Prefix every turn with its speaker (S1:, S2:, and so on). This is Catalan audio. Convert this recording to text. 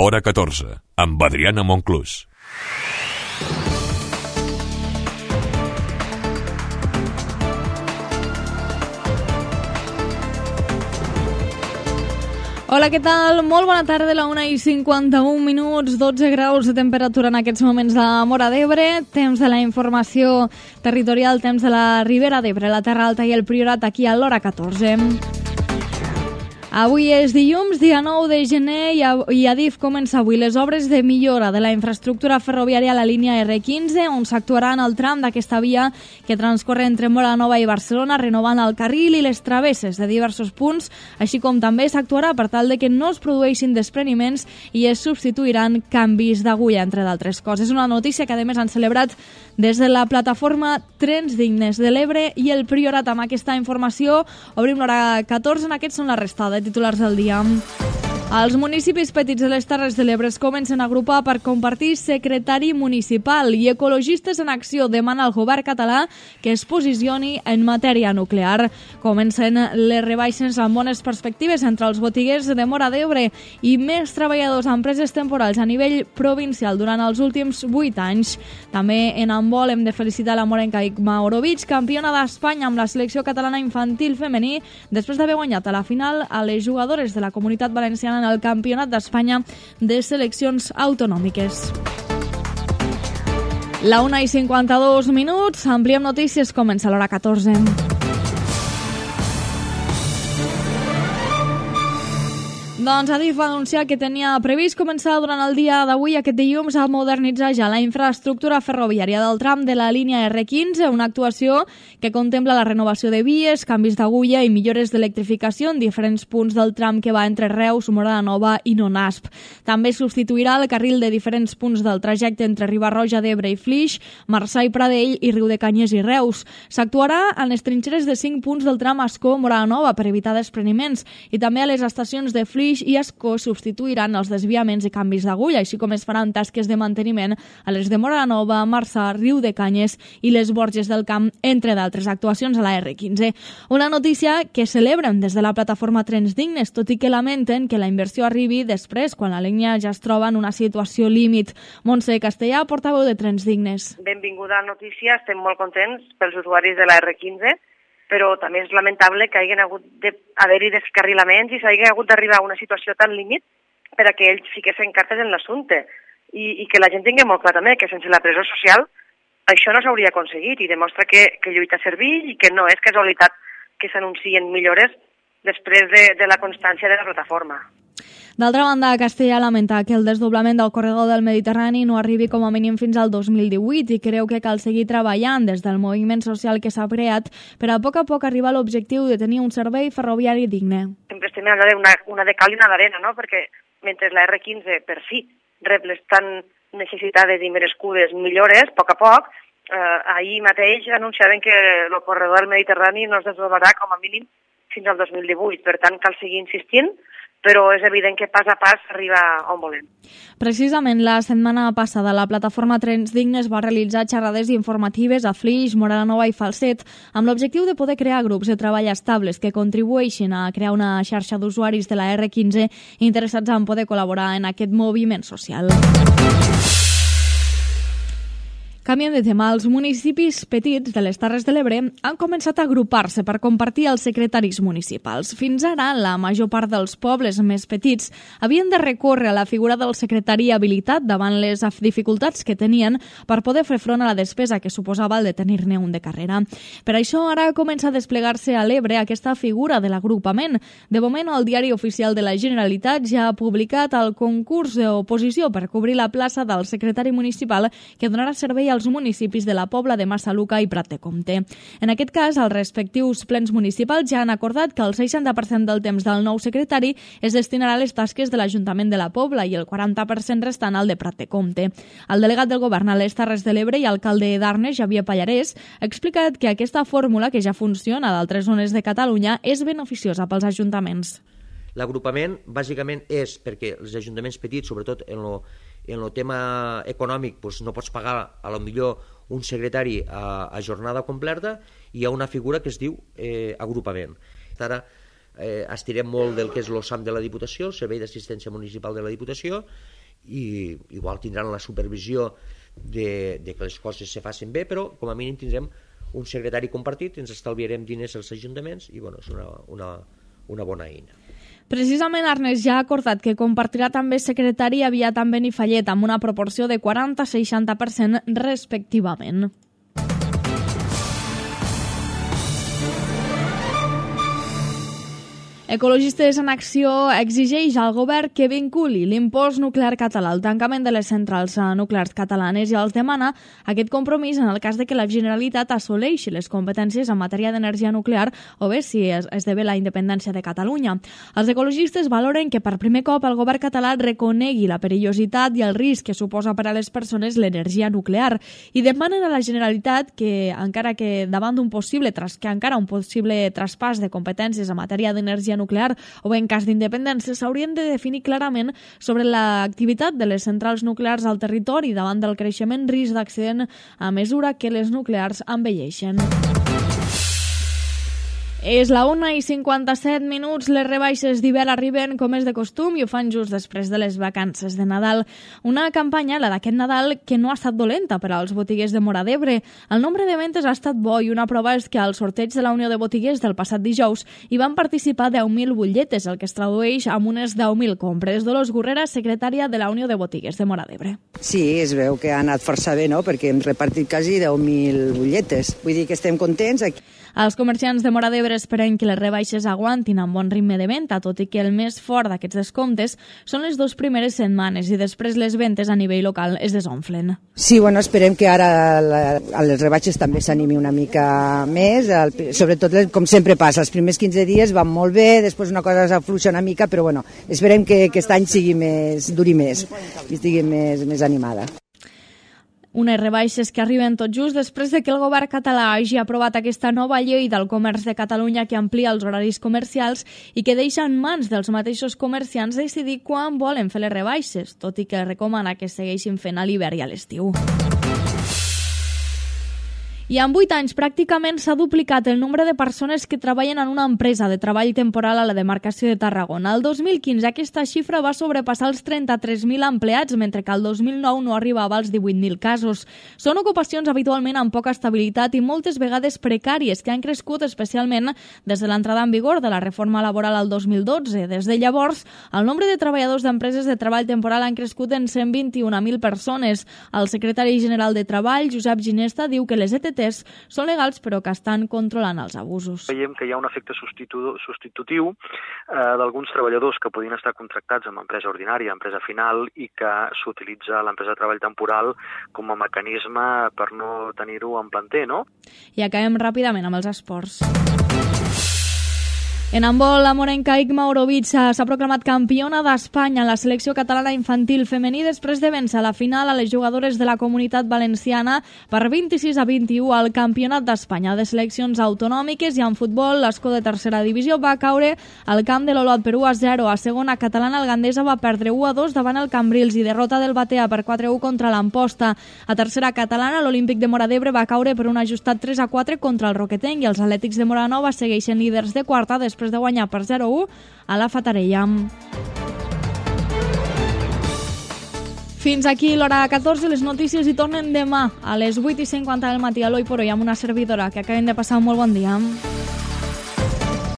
S1: Hora 14, amb Adriana Monclús.
S2: Hola, què tal? Molt bona tarda, a la 1:51, 12 graus de temperatura en aquests moments a Móra d'Ebre, temps de la informació territorial, temps de la Ribera d'Ebre, la Terra Alta i el Priorat aquí a l'Hora 14. Avui és dilluns, dia 9 de gener, i Adif comença avui les obres de millora de la infraestructura ferroviària a la línia R15, on s'actuarà en el tram d'aquesta via que transcorre entre Móra Nova i Barcelona, renovant el carril i les travesses de diversos punts, així com també s'actuarà per tal de que no es produeixin despreniments i es substituiran canvis d'agulla, entre d'altres coses. Una notícia que, a més, han celebrat des de la plataforma Trens Dignes de l'Ebre i el Priorat. Amb aquesta informació obrim l'Hora 14, en aquests són la resta de titulars del dia. Els municipis petits de les Terres de l'Ebre es comencen a agrupar per compartir secretari municipal, i Ecologistes en Acció demana al govern català que es posicioni en matèria nuclear. Comencen les rebaixes amb bones perspectives entre els botiguers de Móra d'Ebre i més treballadors a empreses temporals a nivell provincial durant els últims 8 anys. També en handbol hem de felicitar la morenca Igma Orovic, campiona d'Espanya amb la selecció catalana infantil femení, després d'haver guanyat a la final a les jugadores de la Comunitat Valenciana en el Campionat d'Espanya de seleccions autonòmiques. La 1:52, ampliem notícies, comença l'Hora 14. Doncs Adif va anunciar que tenia previst començar durant el dia d'avui, aquest dilluns, a modernitzar ja la infraestructura ferroviària del tram de la línia R15, una actuació que contempla la renovació de vies, canvis d'agulla i millores d'electrificació en diferents punts del tram que va entre Reus, Móra Nova i Nonasp. També substituirà el carril de diferents punts del trajecte entre Riba-roja d'Ebre i Flix, Marçà i Pradell i Riudecanyes i Reus. S'actuarà en les trinxeres de 5 punts del tram Ascó-Móra Nova per evitar despreniments, i també a les estacions de Flix i Ascó substituiran els desviaments i canvis d'agulla, així com es faran tasques de manteniment a les de Móra Nova, Marçà, Riudecanyes i les Borges del Camp, entre d'altres actuacions a la R15. Una notícia que celebren des de la plataforma Trens Dignes, tot i que lamenten que la inversió arribi després, quan la línia ja es troba en una situació límit. Montse Castellà, portaveu de Trens Dignes.
S3: Benvinguda notícia, estem molt contents pels usuaris de la R15, però també és lamentable que hagin hagut d'haver-hi descarrilaments i s'hagi hagut d'arribar a una situació tan límit per a que ells fiquessin cartes en l'assumpte. I que la gent tingui molt clar també que sense la pressió social això no s'hauria aconseguit, i demostra que lluita servir i que no és casualitat que s'anuncien millores després de la constància de la plataforma.
S2: D'altra banda, Castellà lamenta que el desdoblament del corredor del Mediterrani no arribi com a mínim fins al 2018 i creu que cal seguir treballant des del moviment social que s'ha creat per a poc arribar a l'objectiu de tenir un servei ferroviari digne.
S3: Sempre estem parlant d'una de cal i una d'arena, no? Perquè mentre la R15 per fi rep les tan necessitades i merescudes millores, a poc, ahir mateix anunciaven que el corredor del Mediterrani no es desdoblarà com a mínim fins al 2018. Per tant, cal seguir insistint, però és evident que pas a pas arriba on volem.
S2: Precisament la setmana passada la plataforma Trens Dignes va realitzar xerrades informatives a Flix, Móra Nova i Falset amb l'objectiu de poder crear grups de treball estables que contribueixin a crear una xarxa d'usuaris de la R15 interessats en poder col·laborar en aquest moviment social. Canviem de tema. Els municipis petits de les Terres de l'Ebre han començat a agrupar-se per compartir els secretaris municipals. Fins ara, la major part dels pobles més petits havien de recórrer a la figura del secretari habilitat davant les dificultats que tenien per poder fer front a la despesa que suposava el de tenir-ne un de carrera. Per això ara comença a desplegar-se a l'Ebre aquesta figura de l'agrupament. De moment, el Diari Oficial de la Generalitat ja ha publicat el concurs d'oposició per cobrir la plaça del secretari municipal que donarà servei als municipis de la Pobla de Massaluca i Prat de Comte. En aquest cas, els respectius plens municipals ja han acordat que el 60% del temps del nou secretari es destinarà a les tasques de l'Ajuntament de la Pobla i el 40% restant al de Prat de Comte. El delegat del govern a les Terres de l'Ebre i alcalde d'Arnes, Xavier Pallarès, ha explicat que aquesta fórmula, que ja funciona a d'altres zones de Catalunya, és beneficiosa pels ajuntaments.
S4: L'agrupament, bàsicament, és perquè els ajuntaments petits, sobretot en el tema econòmic, doncs no pots pagar a lo millor un secretari a jornada completa, i hi ha una figura que es diu agrupament. Ara estirem molt del que és l'OSAM de la Diputació, el Servei d'Assistència Municipal de la Diputació, i igual tindran la supervisió de que les coses se facin bé, però com a mínim tindrem un secretari compartit, ens estalviarem diners als ajuntaments i és una bona eina.
S2: Precisament Arnes ja ha acordat que compartirà també secretari aviat amb Benifallet amb una proporció de 40-60% respectivament. Ecologistes en Acció exigeix al govern que vinculi l'impost nuclear català al tancament de les centrals nuclears catalanes i els demana aquest compromís en el cas de que la Generalitat assoleixi les competències en matèria d'energia nuclear o bé si esdevé la independència de Catalunya. Els ecologistes valoren que per primer cop el govern català reconegui la perillositat i el risc que suposa per a les persones l'energia nuclear i demanen a la Generalitat que encara un possible traspàs de competències en matèria d'energia nuclear o en cas d'independència s'haurien de definir clarament sobre l'activitat de les centrals nuclears al territori davant del creixement risc d'accident a mesura que les nuclears envelleixen. És la 1:57, les rebaixes d'hivern arriben com és de costum i ho fan just després de les vacances de Nadal. Una campanya, la d'aquest Nadal, que no ha estat dolenta per als botiguers de Móra d'Ebre. El nombre de ventes ha estat bo i una prova és que al sorteig de la Unió de Botiguers del passat dijous hi van participar 10.000 butlletes, el que es tradueix amb unes 10.000 compres. Dolors Gurrera, secretària de la Unió de Botiguers de Móra d'Ebre.
S5: Sí, es veu que ha anat força bé, no?, perquè hem repartit quasi 10.000 butlletes. Vull dir que estem contents.
S2: Els comerciants de Móra d'Ebre esperen que les rebaixes aguantin amb bon ritme de venda, tot i que el més fort d'aquests descomptes són les 2 primeres setmanes i després les ventes a nivell local es desomplen.
S5: Sí, bueno, esperem que ara a les rebaixes també s'animi una mica més, sobretot com sempre passa, els primers 15 dies van molt bé, després una cosa s'afluixa una mica, però bueno, esperem que aquest any duri més i estigui més animada.
S2: Unes rebaixes que arriben tot just després de que el govern català hagi aprovat aquesta nova llei del comerç de Catalunya que amplia els horaris comercials i que deixa en mans dels mateixos comerciants decidir quan volen fer les rebaixes, tot i que recomana que segueixin fent a l'hivern i a l'estiu. I en 8 anys pràcticament s'ha duplicat el nombre de persones que treballen en una empresa de treball temporal a la demarcació de Tarragona. El 2015 aquesta xifra va sobrepassar els 33.000 empleats, mentre que el 2009 no arribava als 18.000 casos. Són ocupacions habitualment amb poca estabilitat i moltes vegades precàries, que han crescut especialment des de l'entrada en vigor de la reforma laboral al 2012. Des de llavors, el nombre de treballadors d'empreses de treball temporal han crescut en 121.000 persones. El secretari general de Treball, Josep Ginesta, diu que les ETT són legals però que estan controlant els abusos.
S6: Veiem que hi ha un efecte substitutiu d'alguns treballadors que podien estar contractats amb empresa ordinària, empresa final, i que s'utilitza l'empresa de treball temporal com a mecanisme per no tenir-ho en planter, no?
S2: I acabem ràpidament amb els esports. En handbol, la morenca Igma Orovic s'ha proclamat campiona d'Espanya en la selecció catalana infantil femení després de vèncer a la final a les jugadores de la Comunitat Valenciana per 26-21 al Campionat d'Espanya de seleccions autonòmiques. I en futbol, l'Escó de tercera divisió va caure al camp de l'Olot per 1-0. A segona catalana, el Gandesa va perdre 1-2 davant el Cambrils i derrota del Batea per 4-1 contra l'Amposta. A tercera catalana, l'Olímpic de Móra d'Ebre va caure per un ajustat 3-4 contra el Roquetenc i els Atlètics de Móra Nova segueixen líders de quarta després de guanyar per 0-1 a la Fatarella. Fins aquí l'hora 14, les notícies hi tornen demà a les 8:50 del matí a l'Oi por Hoy amb una servidora. Que acaben de passar un molt bon dia.